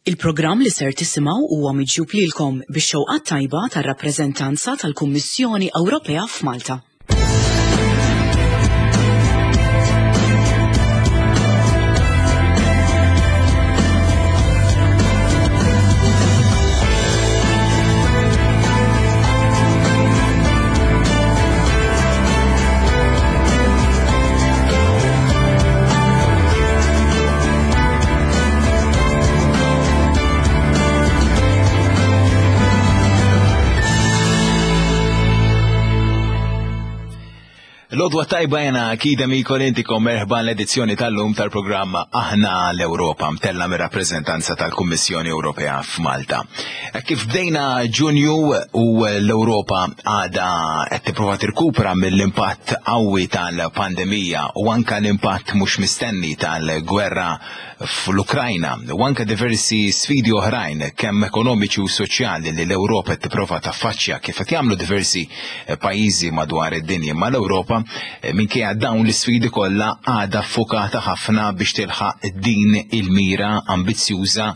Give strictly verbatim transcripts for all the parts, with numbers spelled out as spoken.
Il-programm li ser tisimgħu huwa miġjub lilkom bix-xewqa tajba tar-rappreżentanza tal-Kummissjoni Ewropea f'Malta. L-għodwa tajba jena kida mikol intikom merħba l-edizzjoni tal-lum tal-programma Aħna l-Ewropa mtella mir rappreżentanza tal-Kummissjoni Ewropea f'Malta. Kif bdejna Ġunju u l-Ewropa għada qed tipprova tirkupra mill-impatt qawwi tal-pandemija u anka l-impatt mhux mistenni tal-gwerra fl-Ukrajna u anka diversi sfidi oħrajn kemm ekonomiċi u soċjali li l-Ewropa qed tipprova taffaċċja kif qed jagħmlu diversi pajjiżi madwar id-dinja, ma l-Ewropa minkejja dawn l-isfidi kollha għadha ffukata ħafna biex tilħaq din il-mira ambizzjuża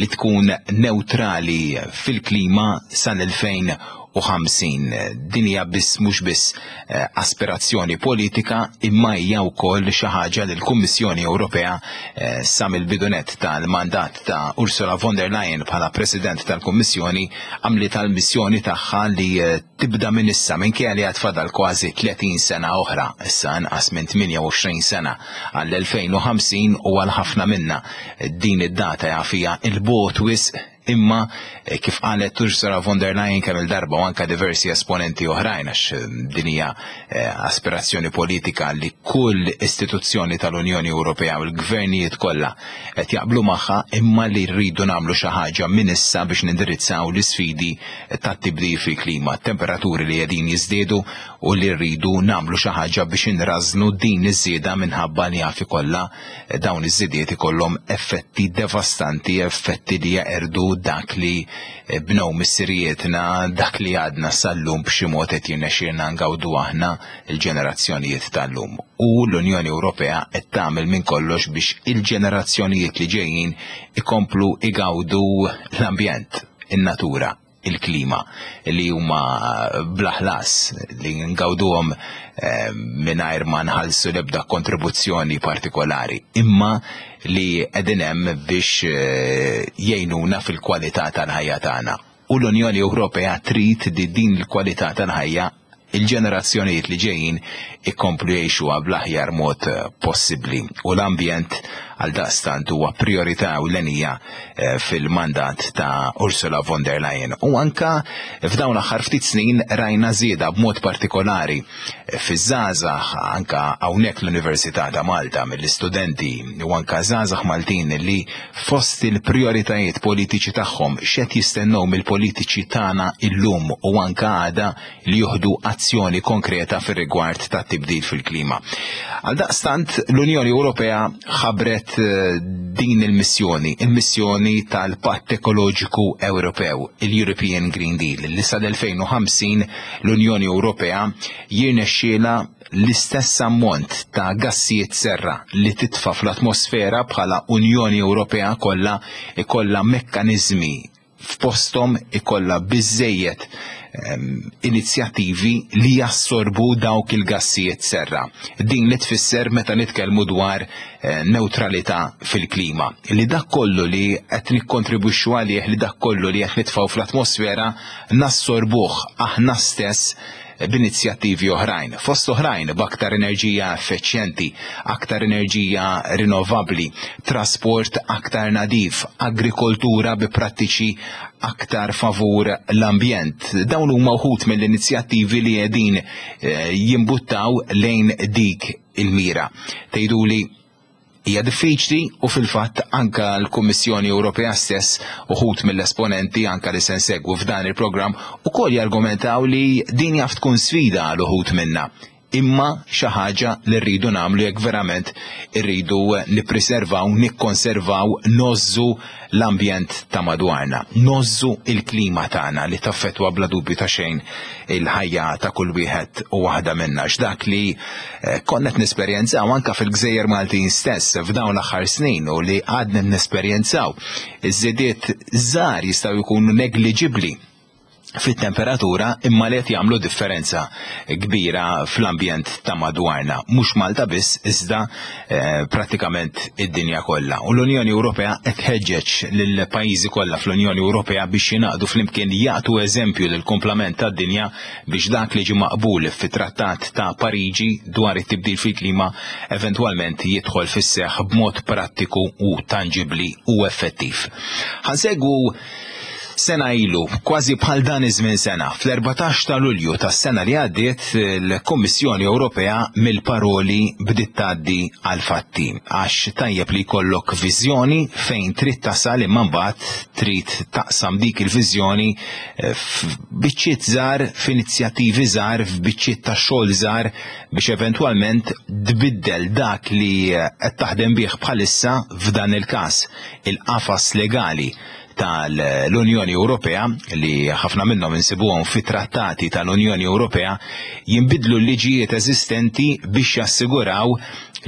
li tkun neutrali fil-klima sal-elfejn u ħamsin. Din hija biss mhux biss eh, aspirazzjoni politika imma hija wkoll xi ħaġa li l-Kummissjoni Ewropea eh, sa mill-bidunet tal-mandat ta' Ursula von der Leyen bħala President tal-Kummissjoni għamlet tal-missjoni tagħha li eh, tibda minn issa minkejja li għad fadal kważi tletin sena oħra, issa inqas minn tmienja u għoxrin sena għall-elfejn u ħamsin u għal ħafna minna din id-data jafija il-bot wisq, imma kif qalet Ursula von der Leyen kemm il-darba u anka diversi esponenti oħrajn għax din hija aspirazzjoni politika li kull istituzzjoni tal-Unjoni Ewropea u l-gvernijiet kollha qed jaqblu magħha, imma li rridu nagħmlu xi ħaġa minn issa biex nindirizzaw l-isfidi tat-tibdil fil-klima, temperaturi li qegħdin jiżdiedu u li rridu nagħmlu xi ħaġa biex inrażnu din iż-żieda minħabba li jaf ikollha dawn iż-żidiet ikollhom effetti devastanti, effetti li jeqirdu dak li bnew missirijietna, dak li għadna sal-lum b'xi mod qed jirnexxielna ngawdu aħna l-ġenerazzjonijiet tal-lum. U l-Unjoni Ewropea qed tagħmel minn kollox biex il-ġenerazzjonijiet li ġejjin ikomplu igawdu l-ambjent, in-natura, il-klima li huma bla ħlas li ngawduhom, eh, mingħajr ma nħallsu l-ebda kontribuzzjoni partikolari, imma li qegħdin hemm biex, eh, jgħinuna fil-kwalità tal-ħajja tagħna. U l-Unjoni Ewropea trid li din il-kwalità tal-ħajja il-ġenerazzjonijiet li ġejjin ikomplu jgħixuha bl-aħjar mod possibbli. U l-ambjent għal daqstant huwa priorità ewlenija, eh, fil-mandat ta' Ursula von der Leyen. U anka f'dawn l-aħħar ftit snin rajna żieda b'mod partikolari fiż-żgħażagħ, anka hawnhekk l-Università ta' Malta mill-istudenti u anka żgħażagħ Maltin li fost il-prioritajiet politiċi tagħhom x'qed jistennew mill-politiċi tagħna illum u anka għada li juħdu azzjoni konkreta fir-rigward tat-tibdil fil-klima. Għal daqstant l-Unjoni Ewropea ħabbret din il-missjoni, il-missjoni tal-Patt Ekoloġiku Ewropew, il-European Green Deal, li sal-elfejn u ħamsin l-Unjoni Ewropea jirnexxielha l-istess ammont ta' gassijiet serra li titfa' fl-atmosfera bħala Unjoni Ewropea kollha ikollha mekkaniżmi f'posthom, ikollha biżżejjed, ehm, inizjattivi li jassorbu dawk il-gassijiet serra. Din li tfisser meta nitkellmu dwar, eh, neutralità fil-klima. Li dak kollu li qed nikkontribwixxu għalih, li dak kollu li qed nitfgħu fl-atmosfera nassorbuh aħna stess b'inizjattivi oħrajn. Fost oħrajn b'aktar enerġija effiċjenti, aktar enerġija rinnovabbli, trasport aktar nadif, agrikoltura bi prattiċi aktar favur l-ambjent. Dawn huma wħud mill-inizjattivi li qegħdin, eh, jimbuttaw lejn dik il-mira. Tgħiduli hija diffiċli u fil-fatt anka l-Kummissjoni Ewropea stess uħud mill-esponenti anka li se nsegwu f'dan il-programm ukoll jargumentaw li din jaf tkun sfida għal uħud minna. imma xi ħaġa li rridu nagħmlu jekk verament irridu nippreservaw, nikkonservaw, ngħożżu l-ambjent ta' madwarna, ngħożżu il-klima tagħna li taffettwa bla dubju ta' xejn il-ħajja ta' kull wieħed u waħda minna. X'dak li eh, konna qed nesperjenzaw anka fil-Gżejjer Maltin stess f'dawn l-aħħar snin u li għadna nesperjenzaw, iż-żidiet żgħar jistgħu jkunu negliġibbli fit-temperatura imma li qed jagħmlu differenza kbira fl-ambjent ta' madwarna. Mhux Malta biss, iżda eh, prattikament id-dinja kollha. U l-Unjoni Ewropea qed tħeġġeġ lill-pajjiżi kollha fl-Unjoni Ewropea biex jingħaqdu flimkien, jagħtu eżempju lill kumplament tad-dinja biex dak li ġie maqbul fit-Trattat ta' Pariġi dwar it-tibdil fil-klima eventwalment jidħol fis-seħħ b'mod prattiku u tanġibli u effettiv. Ħa nsegwu sena ilu, kważi bħal dan iż-żmien sena, fl-erbatax ta' Lulju tas-sena li għaddiet, il-Kummissjoni Ewropea mill-paroli bdiet tgħaddi għal fatti, għax tajjeb li jkollok viżjoni fejn trid tasal, imma mbagħad trid taqsam dik il-viżjoni eh, f'biċċiet żgħar, f'inizjattivi żgħar, f'biċċiet ta' xogħol żgħar biex eventwalment tbiddel dak li qed taħdem bih bħalissa, f'dan il-każ il-qafas legali tal-Unjoni Ewropea li ħafna minnhom insibuhom fit-trattati tal-Unjoni Ewropea. Jinbidlu l-liġijiet eżistenti biex jassiguraw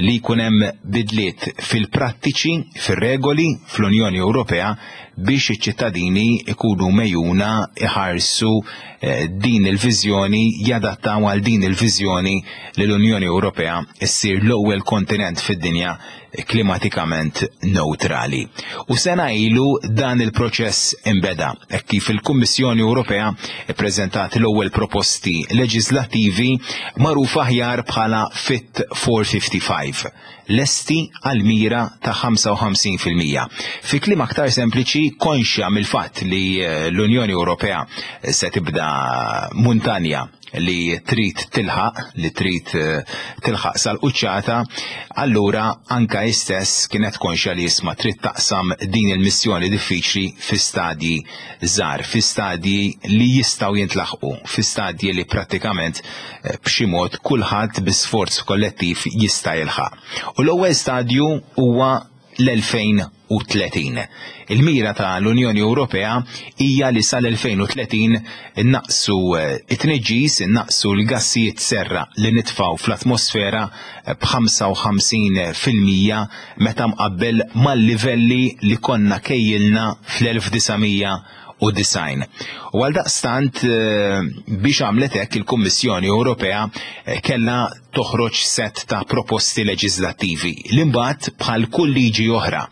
li jkun hemm bidliet fil-prattiċi, fir-regoli fl-Unjoni Ewropea biex iċ-ċittadini ikunu megħjuna iħarsu eh, din il-viżjoni, jadattaw għal din il-viżjoni li l-Unjoni Ewropea issir l-ewwel kontinent fid-dinja klimatikament neutrali. U sena ilu dan il-proċess imbeda, hekk kif il-Kummissjoni Ewropea ppreżentat l-ewwel proposti leġislattivi magħrufa aħjar bħala Fit for fifty-five, lesti għal mira ta' ħamsa u ħamsin fil-mija. Fi kliem aktar sempliċi, konxja mill-fatt li eh, l-Unjoni Ewropea se tibda muntanja li trid tilħaq, li trid eh, tilħaq sal-quċċata, allura anka istess kienet konxja li jisma trid taqsam din il-missjoni diffiċli fi stadji żgħar, fi stadji li jistgħu jintlaħqu, fi stadji li prattikament eh, b'xi mod kulħadd bi sforz kollettiv jista' jilħaq. U l-ewwel stadju huwa l-elfejn u tletin. Il-mira ta' l-Unjoni Ewropea hija li sal-elfejn u tletin innaqsu eh, it-tniġġis, innaqsu l-gassijiet serra li nitfaw fl-atmosfera b'ħamsa u ħamsin fil-mija meta mqabbel mal-livelli li konna kejjilna fl-elf disa' mija u disgħin. U għal daqstant, eh, biex għamlet hekk, il-Kummissjoni Ewropea eh, kellha toħroġ set ta' proposti leġislattivi. L-imbagħad, bħal kull liġi oħra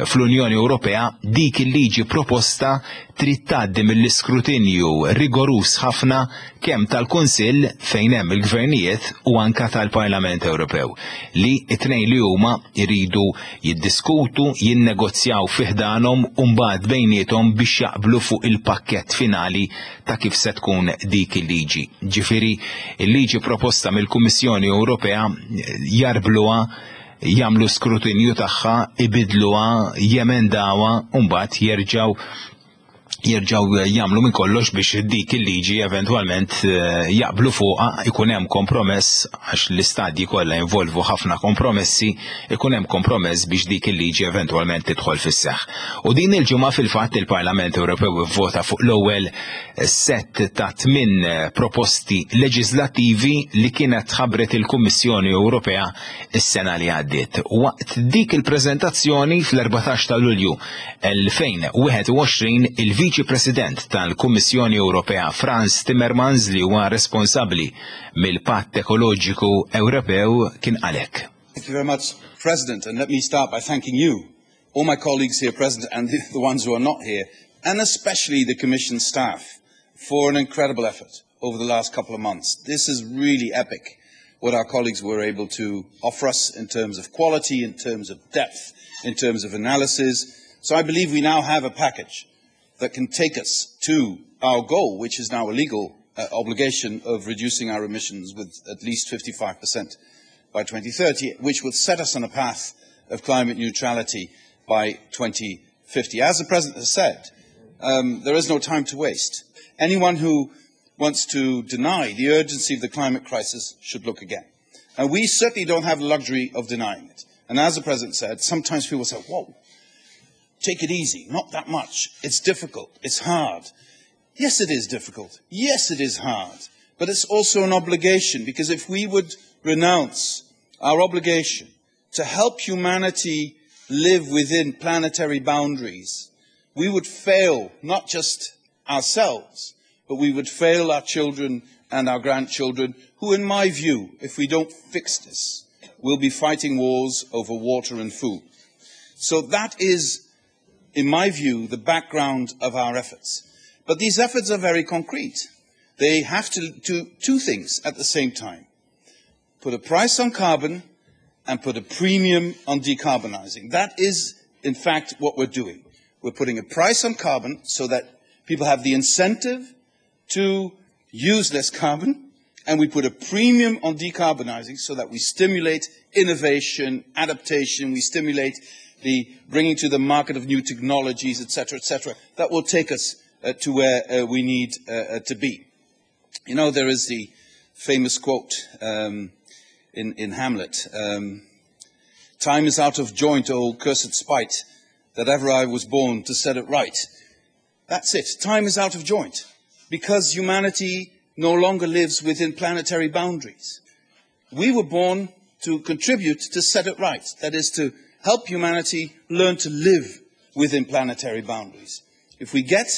fl-Unjoni Ewropea, dik il-liġi proposta trid tgħaddi mill-iskrutinju rigoruż ħafna kemm tal-Kunsill fejn hemm il-gvernijiet u anka tal-Parlament Ewropew, li it-tnejn li huma jridu jiddiskutu, jinnegozjaw fi ħdanhom u mbagħad bejniethom biex jaqblu fuq il-pakkett finali ta' kif se tkun dik il-liġi. Ġifieri, il-liġi proposta mill-Kummissjoni Ewropea jarbluha, jagħmlu skrutinju tagħha, ibidluha, jemendawha u mbagħad jerġgħu jerġgħu jagħmlu minn kollox biex dik il-liġi eventwalment eh, jaqblu fuqha, ikun hemm kompromess, għax l-istadji kollha involvu ħafna kompromessi, ikun hemm kompromess biex dik il-liġi eventwalment tidħol fis-seħħ. U din il-ġimgħa fil-fatt il-Parlament Ewropew vvota fuq l-ewwel set ta' tmien proposti leġislattivi li kienet ħabbret il-Kummissjoni Ewropea is-sena li għaddiet. Waqt dik il-preżentazzjoni fl-erbatax ta' Lulju elfejn u wieħed u għoxrin, il-Viċi President tal-Kummissjoni Ewropea Frans Timmermans, li huwa responsabbli mill-Patt Ekoloġiku Ewropew, kien qal hekk. Thank you very much, President. And let me start by thanking you, all my colleagues here present and the, the ones who are not here, and especially the Commission staff for an incredible effort over the last couple of months. This is really epic, what our colleagues were able to offer us in terms of quality, in terms of depth, in terms of analysis. So I believe we now have a package that can take us to our goal, which is now a legal uh, obligation of reducing our emissions with at least fifty-five percent by twenty thirty, which will set us on a path of climate neutrality by twenty fifty. As the President has said, um, there is no time to waste. Anyone who wants to deny the urgency of the climate crisis should look again. And we certainly don't have the luxury of denying it. And as the President said, sometimes people say, whoa, take it easy, not that much. It's difficult, it's hard. Yes, it is difficult. Yes, it is hard. But it's also an obligation, because if we would renounce our obligation to help humanity live within planetary boundaries, we would fail not just ourselves, but we would fail our children and our grandchildren, who, in my view, if we don't fix this, will be fighting wars over water and food. So that is, in my view, the background of our efforts. But these efforts are very concrete. They have to do two things at the same time. Put a price on carbon and put a premium on decarbonizing. That is, in fact, what we're doing. We're putting a price on carbon so that people have the incentive to use less carbon, and we put a premium on decarbonizing so that we stimulate innovation, adaptation, we stimulate the bringing to the market of new technologies, et cetera, et cetera, that will take us uh, to where uh, we need uh, uh, to be. You know, there is the famous quote um, in, in Hamlet, um, time is out of joint, oh cursed spite, that ever I was born to set it right. That's it. Time is out of joint because humanity no longer lives within planetary boundaries. We were born to contribute to set it right. That is to help humanity learn to live within planetary boundaries. If we get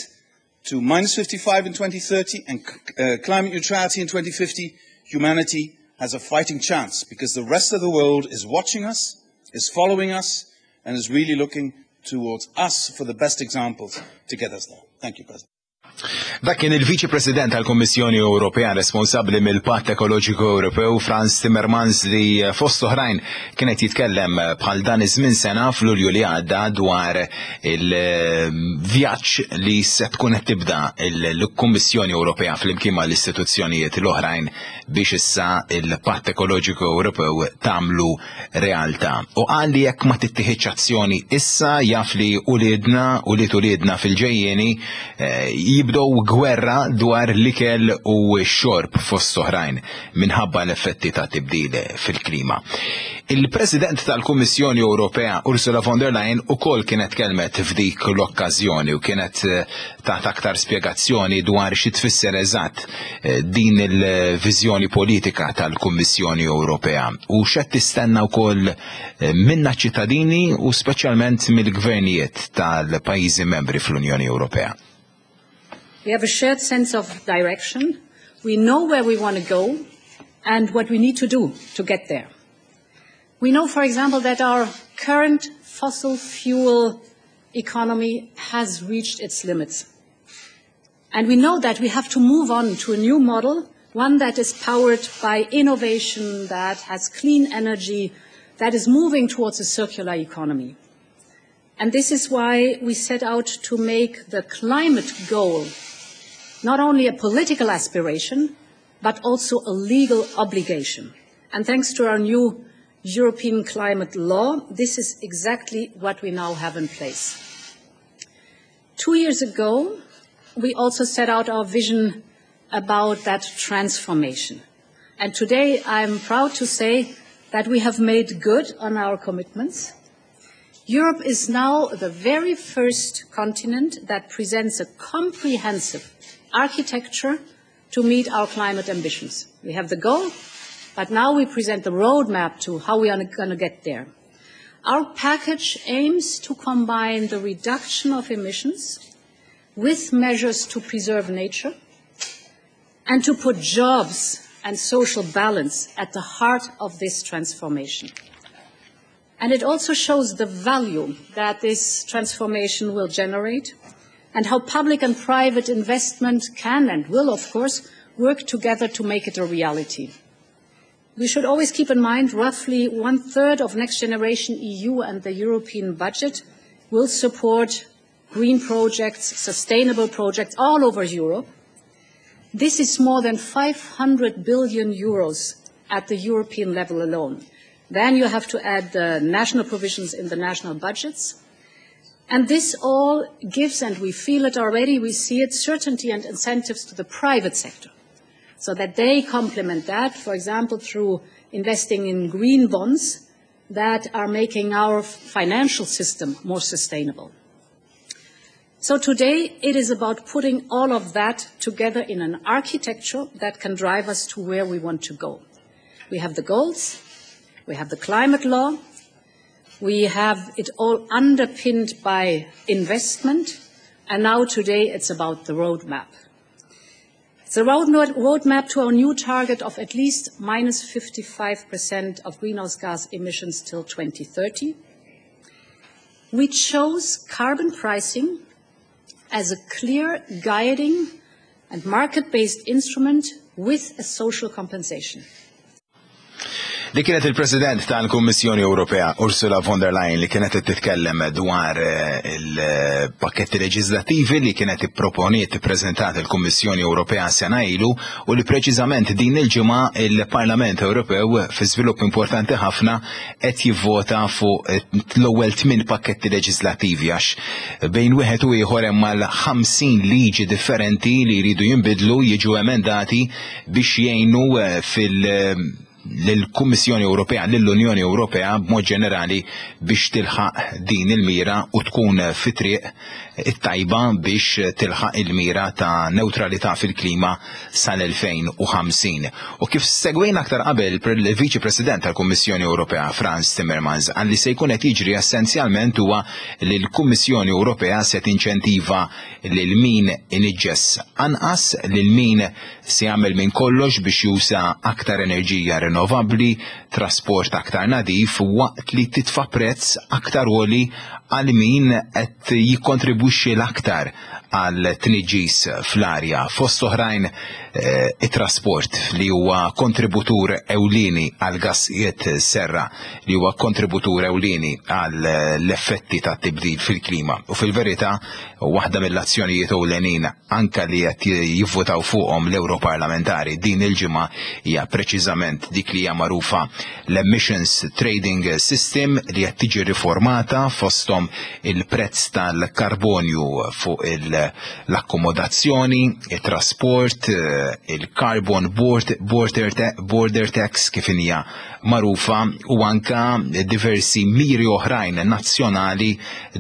to minus fifty-five in twenty thirty and uh, climate neutrality in twenty fifty, humanity has a fighting chance because the rest of the world is watching us, is following us, and is really looking towards us for the best examples to get us there. Thank you, President. Dak kien il-Viċi President tal-Kummissjoni Ewropea responsabbli mill-Patt Ekoloġiku Ewropew Frans Timmermans li fost oħrajn kienet jitkellem bħal dan iż-żmien sena f'Lulju li għadda dwar il-vjaġġ li se tkun qed tibda l-Kummissjoni Ewropea flimkien mal-istituzzjonijiet l-oħrajn biex issa il-Patt Ekoloġiku Ewropew tagħmlu realtà. U qal li jekk ma tittieħidx azzjoni issa jaf li uliedna u li uliedna fil-ġejjieni jibdew gwerra dwar l-ikel u x-xorb fost oħrajn minħabba l-effetti ta' tibdil fil-klima. Il-President tal-Kummissjoni Ewropea Ursula von der Leyen ukoll kienet kelmet f'dik l-okkażjoni u kienet tat aktar spjegazzjoni dwar xi tfisser eżatt din il-viżjoni politika tal-Kummissjoni Ewropea u x'qed tistenna wkoll minna ċittadini u speċjalment mill-gvernijiet tal-pajjiżi membri fl-Unjoni Ewropea. We have a shared sense of direction. We know where we want to go and what we need to do to get there. We know, for example, that our current fossil fuel economy has reached its limits. And we know that we have to move on to a new model, one that is powered by innovation, that has clean energy, that is moving towards a circular economy. And this is why we set out to make the climate goal not only a political aspiration, but also a legal obligation. And thanks to our new European climate law, this is exactly what we now have in place. Two years ago, we also set out our vision about that transformation. And today, I'm proud to say that we have made good on our commitments. Europe is now the very first continent that presents a comprehensive architecture to meet our climate ambitions. We have the goal, but now we present the roadmap to how we are going to get there. Our package aims to combine the reduction of emissions with measures to preserve nature and to put jobs and social balance at the heart of this transformation. And it also shows the value that this transformation will generate and how public and private investment can and will, of course, work together to make it a reality. We should always keep in mind roughly one-third of Next Generation E U and the European budget will support green projects, sustainable projects all over Europe. This is more than five hundred billion euros at the European level alone. Then you have to add the national provisions in the national budgets. And this all gives, and we feel it already, we see it, certainty and incentives to the private sector. So that they complement that, for example, through investing in green bonds that are making our financial system more sustainable. So today it is about putting all of that together in an architecture that can drive us to where we want to go. We have the goals, we have the climate law, we have it all underpinned by investment, and now today it's about the roadmap. It's a roadmap to our new target of at least minus fifty-five percent of greenhouse gas emissions till twenty thirty. We chose carbon pricing as a clear guiding and market-based instrument with a social compensation. Li kienet il-President tal-Kummissjoni Ewropea Ursula von der Leyen li kienet titkellem dwar eh, il-pakketti leġislattivi li kienet ipproponiet, ippreżentat il-Kummissjoni Ewropea sena ilu u li preċiżament din il-ġimgħa il-Parlament Ewropew, fi żvilupp importanti ħafna, qed jivvota fuq l-ewwel tmien pakketti leġislattivi, għax bejn wieħed u ieħor hemm mal-ħamsin liġi differenti li jridu jinbidlu, jiġu emendati biex jgħinu eh, fil- lill-Kummissjoni Ewropea, lill-Unjoni Ewropea b'mod ġenerali biex tilħaq din il-mira u tkun fi triq it-tajba biex tilħaq il-mira ta' neutralità fil-klima sal-elfejn u ħamsin. U kif segwejna aktar qabel, il-Viċi President tal-Kummissjoni Ewropea Frans Timmermans qal li se jkun qed jiġri essenzjalment huwa li l-Kummissjoni Ewropea se tinċentiva lil min iniġġes anqas, lil min se jagħmel minn kollox biex juża aktar enerġija rinnovabbli, trasport aktar nadif, waqt li titfa' prezz aktar għoli għal min qed jikkontribwixxi l-aktar għal tniġġis fl-arja. Fost oħrajn eh, it-trasport li huwa kontributur ewlieni għal gassijiet serra, li huwa kontributur ewlieni għal l-effetti ta' tibdil fil-klima. U fil-verità, waħda mill-azzjonijiet ewlenin anka li qed jivvotaw fuqhom l-Europarlamentari din il-ġimgħa hija preċiżament dik li hija magħrufa l-Emissions Trading System li qed tiġi riformata, fosthom il-prezz tal-karbonju fuq l-akkomodazzjoni, il-trasport, il-carbon border, border tax kif hija magħrufa u anka diversi miri oħrajn nazzjonali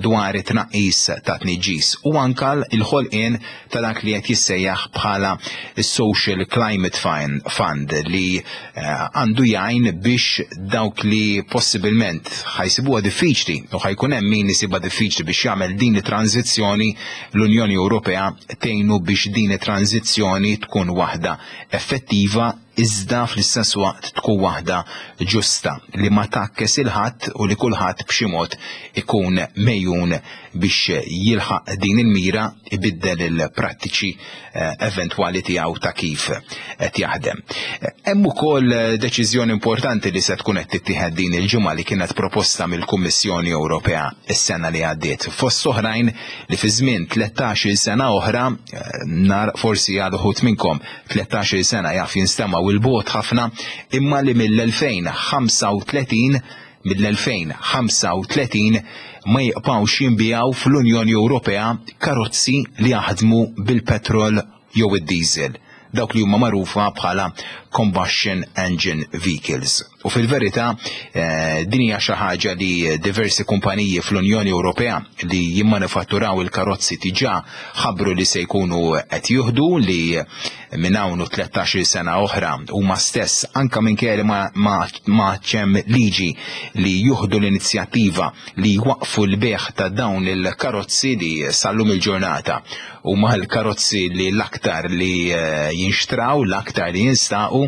dwar it-tnaqqis ta' tniġġis u anka il-ħolqien ta' dak li qed jissejjaħ bħala Social Climate Fund li eh, għandu jgħin biex dawk li possibilment ħa jsibuha diffiċli u ħa jkun hemm min isibha diffiċli biex jagħmel din it-tranzizzjoni, l-Unjoni Ewropea tgħinu biex din it-tranzizzjoni tkun waħda effettiva iżda fl-istess waqt tkun waħda ġusta li ma tgħakkes lil ħadd u li kulħadd b'xi mod ikun megħjun biex jilħaq din il-mira, ibiddel il-prattiċi eh, eventwali tiegħu ta' kif qed jaħdem. Hemm ukoll deċiżjoni importanti li se tkun qed tittieħed din il-ġimgħa li kienet proposta mill-Kummissjoni Ewropea s-sena li għaddiet. Fost oħrajn li fi żmien tlettax-il sena oħra, eh, nar forsi għal uħud minnkom tlettax-il sena jaf jinstema' 'il bogħod ħafna, imma li mill-elfejn u ħamsa u tletin mill-elfejn u ħamsa u tletin ma jibqgħux jinbiegħu fl-Unjoni Ewropea karozzi li jaħdmu bil-petrol jew id-diesel, dawk li huma magħrufa bħala combustion engine vehicles. U fil-verità eh, din hija xi ħaġa li diversi kumpaniji fl-Unjoni Ewropea li jimmanifatturaw il-karozzi diġà ħabbru li se jkunu qed jieħdu, li minn hawn u tlettax-il sena oħra huma stess, anka minkejja li ma, ma, ma hemm liġi, li jieħdu l-inizjattiva li jwaqfu l-bejgħ ta' dawn il-karozzi li sal-lum il-ġurnata huma l-karozzi li l-aktar li eh, jinxtraw, l-aktar li jinstaqu,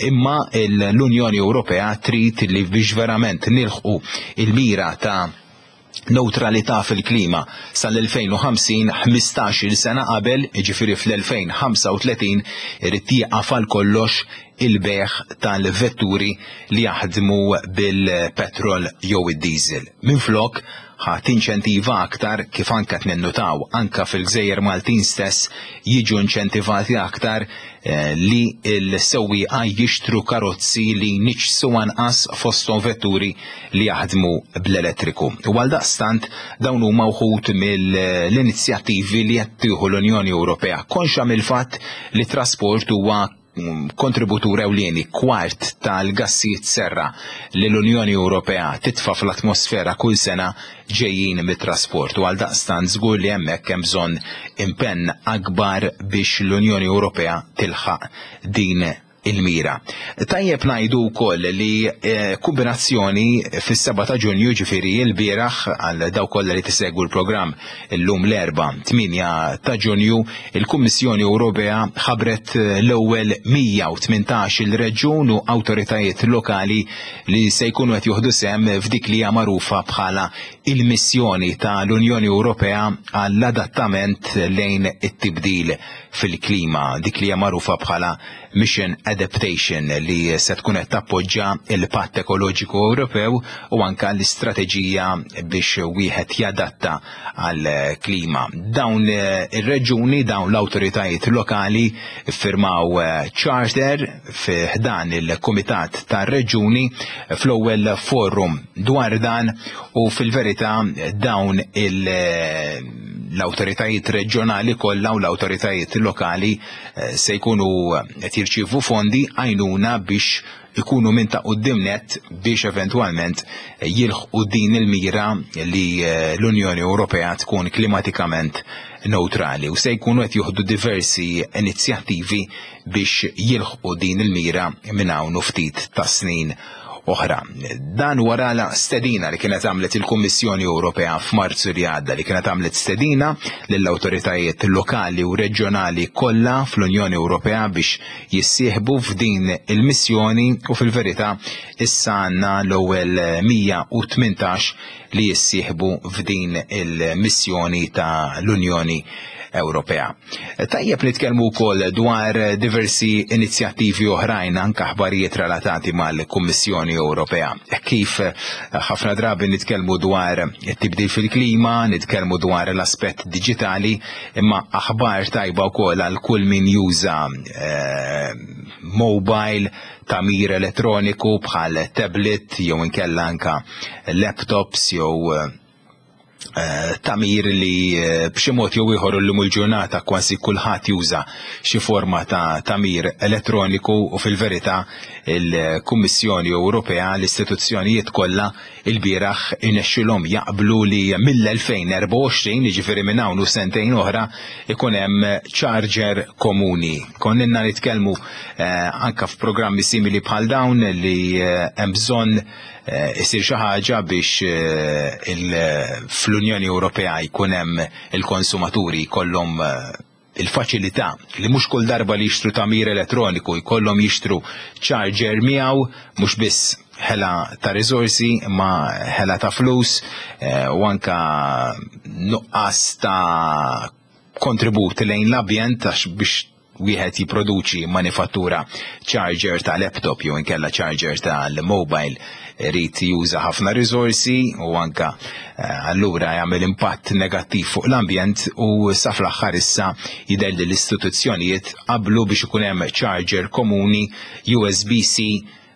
imma l-Unjoni Ewropea trid li biex verament nilħqu il-mira ta' neutralità fil-klima sal-elfejn u ħamsin, ħmistax-il sena qabel, jiġifieri fl-elfejn u ħamsa u tletin, irid jieqaf għal kollox il-bejgħ tal-vetturi li jaħdmu bil-petrol jew id-diesel. Minflok ħa tinċentiva aktar, kif anka ninnutaw anka fil-Gżejjer Maltin stess jiġu inċentivati aktar eh, li l-sewwieqa jixtru karozzi li jniġġsu anqas, fosthom vetturi li jaħdmu bl-elettriku. U għal daqstant dawn huma wħud mill-inizjattivi li qed tieħu l-Unjoni Ewropea konxa mill-fatt li trasport huwa kontributur ewlieni, kwart tal-gassijiet serra li l-Unjoni Ewropea titfa' fl-atmosfera kull sena ġejjin mit-trasport, u għaldaqstant żgur li hemmhekk hemm bżonn impenn akbar biex l-Unjoni Ewropea tilħaq din il-mira. Tajjeb ngħidu wkoll li eh, kombinazzjoni fis-seba' ta' Ġunju, ġifieri l-bieraħ għal dawk kollha li tisegwu l-programm illum l-Erbgħa tmienja ta' Ġunju, il-Kummissjoni Ewropea ħabret l-ewwel mija u tmintax il-reġjun u awtoritajiet lokali li se jkunu qed jieħdu sehem f'dik li hija magħrufa bħala il-missjoni tal-Unjoni Ewropea għall-adattament lejn it-tibdil fil-klima, dik li hija magħrufa bħala Mission Adaptation, li se tkun qed tappoġġa il-Patt Ekoloġiku Ewropew u anka l-istrateġija biex wieħed jadatta għall-klima. Dawn ir-reġuni, dawn l-awtoritajiet lokali firmaw charter fi ħdan il-Kumitat tar-Reġuni fl-ewwel forum dwar dan, u fil-verità dawn il- l-awtoritajiet reġjonali kollha u l-awtoritajiet lokali eh, se jkunu qed jirċievu fondi, għajnuna, biex ikunu minn ta' quddiem nett biex eventwalment jilħqu din il-mira li eh, l-Unjoni Ewropea tkun klimatikament neutrali, u se jkunu qed jieħdu diversi inizjattivi biex jilħqu din il-mira minn hawn u ftit ta' snin oħra. Dan wara la stedina li kienet għamlet il-Kummissjoni Ewropea f'Marzu li għadda, li kienet għamlet stedina lill-awtoritajiet lokali u reġjonali kollha fl-Unjoni Ewropea biex jissieħbu f'din il-missjoni, u fil-verità issa għandna l-ewwel mija u tmintax li jissieħbu f'din il-missjoni ta' l-Unjoni Ewropea. Tajjeb nitkellmu wkoll dwar diversi inizjattivi oħrajn, anke aħbarijiet relatati mal-Kummissjoni Ewropea. Kif ħafna drabi nitkellmu dwar it-tibdil fil-klima, nitkellmu dwar l-aspett diġitali, imma aħbar tajba wkoll għal kull min juża eh, mobile, tagħmir elettroniku bħal tablet jew inkella anka laptops jew eh, tagħmir li eh, b'xi mod jew ieħor illum il-ġurnata kważi kulħadd juża xi forma ta' tagħmir elettroniku. U fil-verità il-Kummissjoni Ewropea, l-istituzzjonijiet kollha, il-bieraħ inexxilhom jaqblu li mill-elfejn u erbgħa u għoxrin, jiġifieri minn hawn u sentejn oħra, ikun hemm charger komuni. Konna nitkellmu eh, anka f'programmi simili bħal dawn li eh, hemm bżonn eh, isir xi ħaġa biex eh, il- fl-Unjoni Ewropea jkun hemm il-konsumaturi jkollhom eh, il-faċilità li mhux kull darba li jixtru tagħmir elettroniku jkollhom jixtru charger miegħu, mhux biss ħela ta' riżorsi ma ħela ta' flus eh, u anka nuqqas ta' kontribut lejn l-ambjent, għax biex wieħed jipproduċi, manifattura charger ta' laptop jew inkella charger tal-mobile irid juża ħafna riżorsi u anka eh, allura jagħmel impatt negattiv fuq l-ambjent. U sa fl-aħħar issa jidher li l-istituzzjonijiet qablu biex ikun hemm charger komuni U S B-C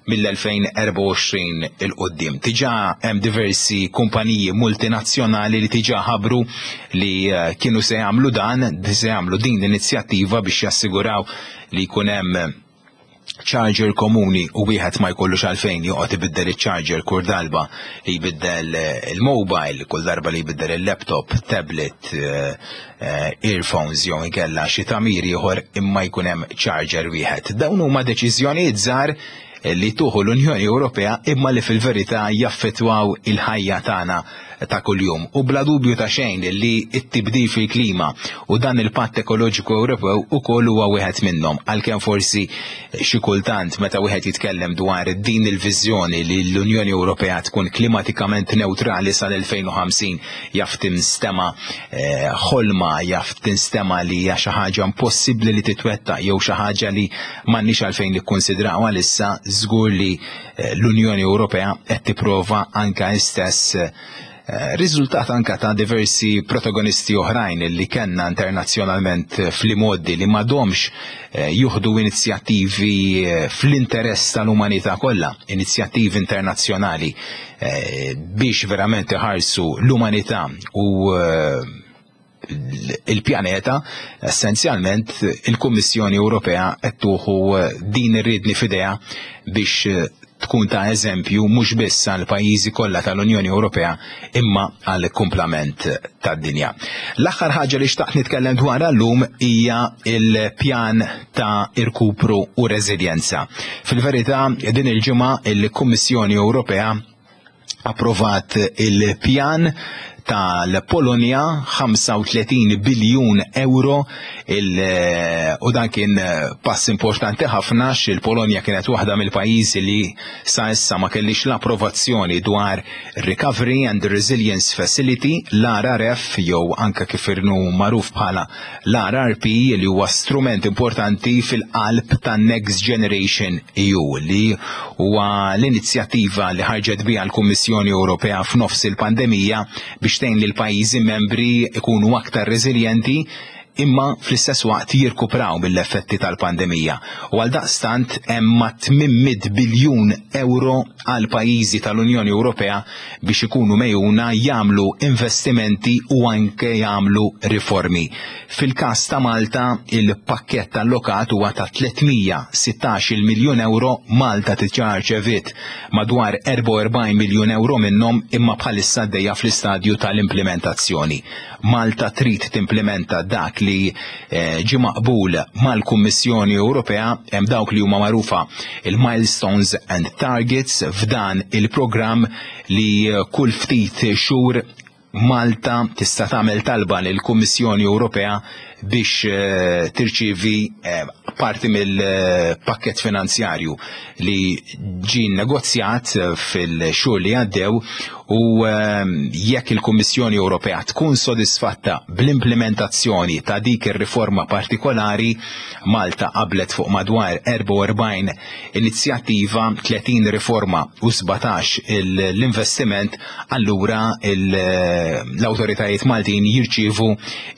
mill-elfejn u erbgħa u għoxrin 'il quddiem. Diġà hemm diversi kumpaniji multinazzjonali li diġà ħabru li eh, kienu se jagħmlu dan, se jagħmlu din l-inizjattiva biex jassiguraw li jkun hemm charger komuni u wieħed ma jkollux għalfejn joqgħod ibiddel iċ-charger kull darba li jbiddel eh, il-mobile, kull darba li jbiddel il-laptop, tablet, eh, eh, earphones jew inkella xi tagħmir ieħor, imma jkun hemm charger wieħed. Dawn huma deċiżjonijiet żgħar li tieħu l-Unjoni Ewropea imma li fil-verità jaffettwaw il-ħajja tagħna ta' kuljum. U bla dubju ta' xejn li t-tibdil fil-klima u dan il-Patt Ekoloġiku Ewropew ukoll huwa wieħed minnhom, għalkemm forsi xi kultant meta wieħed jitkellem dwar din il-viżjoni li l-Unjoni Ewropea tkun klimatikament neutrali sal-elfejn u ħamsin jaf tinstema eh, ħolma, jaf tinstema li hija xi ħaġa impossibbli li titwettaq jew xi ħaġa li m'għandniex għalfejn nikkonsidraw għalissa, żgur li eh, l-Unjoni Ewropea qed tipprova anka istess eh, riżultat anka ta' diversi protagonisti oħrajn li kellna internazzjonalment fl-imgħoddi li m'għadhomx eh, jieħdu inizjattivi eh, fl-interess tal-umanità kollha, inizjattivi internazzjonali eh, biex verament iħarsu l-umanità u il-pjaneta, essenzjalment il-Kummissjoni Ewropea qed tieħu din ir-riedni f'idejha biex tkun ta' eżempju mhux biss għal pajjiżi kollha tal-Unjoni Ewropea imma għal kumplament tad-dinja. L-aħħar ħaġa li xtaqt nitkellem dwarha llum hija il-pjan ta' irkupru u reżiljenza. Fil-verità din il-ġimgħa il-Kummissjoni Ewropea approvat il-pjan tal-Polonja ħamsa u tletin biljun euro il, u dan kien pass importanti ħafna, il-Polonja kienet waħda mill-pajjiżi li sa issa ma kellix l-approvazzjoni dwar Recovery and Resilience Facility, l-R R F, jew anka kif inhu magħruf bħala l-R R P, li huwa strument importanti fil-qalb ta' Next Generation E U, li huwa l-inizjattiva li ħarġet biha l-Kummissjoni Ewropea f'nofs il-pandemija biex tgħin lil pajjiżi membri ikunu aktar reżiljenti imma fl-istess waqt jirkupraw mill-effetti tal-pandemija. U għal daqstant hemm ma' tmien mitt biljun euro għal pajjiżi tal-Unjoni Ewropea biex ikunu megħjuna jagħmlu investimenti u anke jagħmlu riformi. Fil-każ ta' Malta, il-pakkett allokat huwa ta' tliet mija u sittax-il miljun euro. Malta diġà rċeviet madwar erbgħa u erbgħin miljun euro minnhom, imma bħalissa għaddejja fl-istadju tal-implementazzjoni. Malta trid timplementa dak li eh, ġi maqbul mal-Kummissjoni Ewropea. Hemm dawk li huma magħrufa il-milestones and targets f'dan il-programm, li kull ftit xhur Malta tista' tagħmel talba lill-Kummissjoni Ewropea biex eh, tirċievi eh, parti mill-pakket finanzjarju li ġi negozjat fil-xhur li għaddew, u jekk il-Kummissjoni Ewropea tkun sodisfatta bl-implementazzjoni ta' dik ir-riforma partikolari, Malta qablet fuq madwar erbgħa u erbgħin inizjattiva, tletin riforma u sbatax l-investiment, allura l-awtoritajiet Maltin jirċievu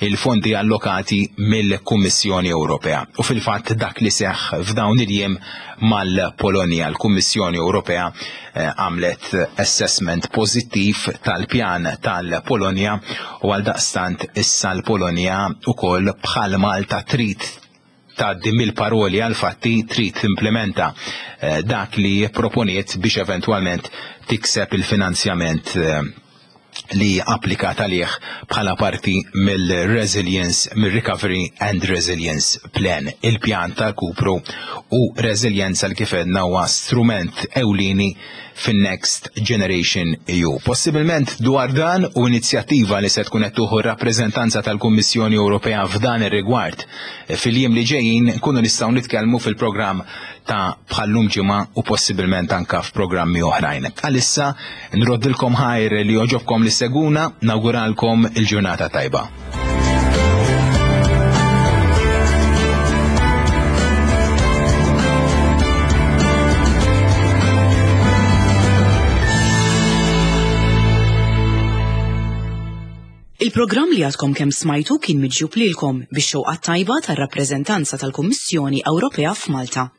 il-fondi allokati mill-Kummissjoni Ewropea. U fil-fatt dak li seħ f'dawn il-jiem mal-Polonja, l-Kummissjoni Ewropea eh, għamlet assessment pożittiv tal-pjan tal-Polonja u għal daqstant issa l-Polonja ukoll bħal Malta trid tgħaddi mill-paroli għal fatti, trid timplementa eh, dak li proponiet biex eventwalment tikseb il-finanzjament eh, li applikat għalih bħala parti mill-Resilience, mill-Recovery and Resilience Plan, il-pjan ta' rkupru u resilienza li kif għedna huwa strument ewlieni fin-Next Generation E U. Possibilment dwar dan u inizjattiva li se tkun qed tieħu rappreżentanza tal-Kummissjoni Ewropea f'dan ir-rigward fil-jiem li ġejjin nkunu nistgħu nitkellmu fil-programm ta' bħal-lum ġimgħa u possibilment anka f'programmi oħrajn. Għalissa nroddilkom ħajr li għoġobkom li ssegwuna, nawguralkom il-ġurnata tajba. Il-programm li għadkom kemm smajtu kien miġjub lilkom bix-xewqa tajba tar-rappreżentanza tal-Kummissjoni Ewropea f'Malta.